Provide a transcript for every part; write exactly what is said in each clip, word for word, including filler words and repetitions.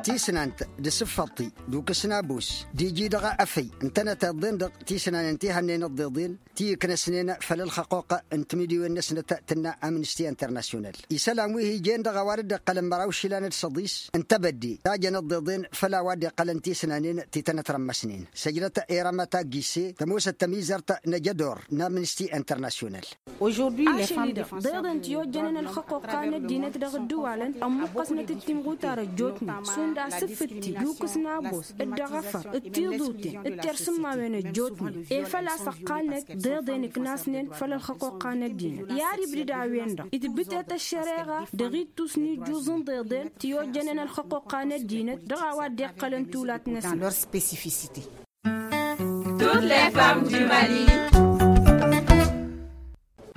Tisnant d-asǝffăḍti d-ukǝsna abus d-iji dăɣ-afăy ǝntănăt iḍḍen dăɣ-tisnanen ti hănnen ǝḍḍeḍen ti ǝknăsnen făll-ălxăqquq n-timǝdiwen-năsnăt tǝnna amnisti internasyonal. Isălan wi hi-jen dăɣ-a-wa dd-iqqălăn măraw išilan d-săḍis n-tebădde ta jăn ǝḍḍeḍen făll-a-wa dd-iqqălăn tisnanen ti tănătrămmăsnen săjdăt erămăt agise tămoosăt tămizărt n-ajădor n-amnisti internasyonal. Ašăl-i-dăɣ ḍeḍen ti ojjănen ălxăqquqqa n-ăddinăt dăɣ-ǝddǝwalăn ămmuqqăsnăt d-timɣutar ăjjootnen šund asǝffǝtti d-ukǝs n-abos d-dăɣ-afăr d-tiḍuten d-tersǝmmawen ăjjootnen efăl a-s ăqqalnăt ḍeḍen ǝknasnen făll-ălxăqquqqa n-ăddinăt i-ad-ibdǝd a-wen-dăɣ itbǝtet ăššăreɣa dăɣ-ittus n-ijjuz n-ḍeḍen ti ojjănen ălxăqquqqa n-ăddinăt dăɣ-a-wa dd-iqqălăn tulat-năsnăt.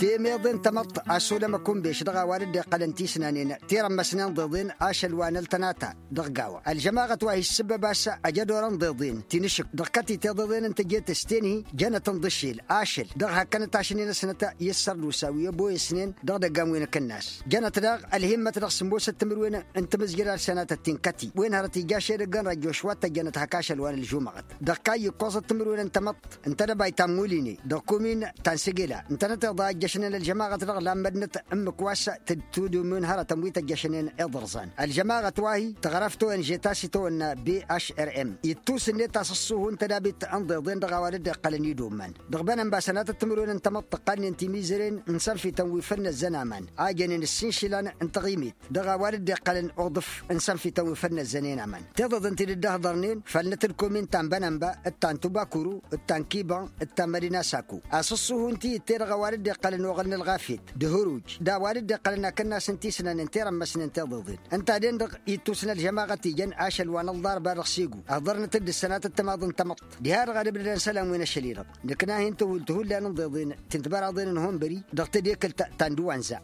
Temeḍe n-tamăḍt a-s olăm ăkunbeš dăɣ-a-wa dd-iqqălăn tisnanen ti rămmăsnen ḍeḍen ašăl wa n-ăltănata dăɣ-gawa ălžămaɣăt wa hi-ǝssǝbbăb a-s ajădor n-ḍeḍen ti n-ašǝk dăɣ-kăti tiḍeḍen n-teje tăsten-hi jănăt n-iḍǝššel ašăl dăɣ-hakkăn ătašnen-asnăt i-ăssărdusa wi ăboyăsnen dăɣ-idăggan wi n-akǝnnas jănăt daɣ ălhimmăt dăɣ-sǝmmosăt timǝrwen n-tamǝzjăd ad-sănatăt ti n-kăti wen hărăt ija šedăgg n-rajjo šwattăjjănăt hak ašăl wa n-ălžumăɣăt dăɣ-kayy ǝkkoẓăt timǝrwen n-tamăḍt ǝnta d-ăbay ta n-muline dăɣ-kumin ta n-sǝgela ǝntănăt iḍa ăjjăšnen ălžămaɣăt dăɣ-lammădnăt ǝmmǝk wa s-tǝdtudǝm n-hărătăn wi tăjjăšnen iḍărẓan ălžămaɣăt wa-hi tăɣrăft o n žeta s-itawănna b h r m ittus-net asǝṣṣuhu n-tădabit n-iḍeḍen dăɣ-a-wa dd-iqqălăn idomman dăɣ-bănănba sănatăt timǝrwen n-tamăḍt ǝqqalnen timizăren n-sănfităn wi făl năzzăn aman a jănen ǝssin išilan n-taɣimit dăɣ-a-wa dd-iqqălăn uḍǝf n-sănfităn wi făl năzzănen aman tiḍeḍen ti dd-ăhḍărnen făll-năt d-kumin ta n-bănănba d-ta n-tubakuru d-ta n-kiban d-ta n-mădina saku asǝṣṣuhu n-tiyǝtte dăɣ-a-wa dd-iqqălăn oɣăl n-ălɣafyăt d-hǝruj d-a-wa dd-iqqălăn akǝnnas n-tisnanen ti rămmăsnen tiḍeḍen ǝnta-den-dăɣ ittus n-ălžămaɣăt ijăn ašăl wa n-ălḍarba dăɣ-segu ăhḍărnăt-dd ǝssănatăt timaḍ n-tamăḍt diha-dăɣ ad-ǝbdădăn isălan wi n-ašăl-i-dăɣ nǝkna hin-tǝhull tǝhullan n-iḍeḍen ti n-tibăraḍen n-honbări dăɣ-tedekălt ta n-duwanza.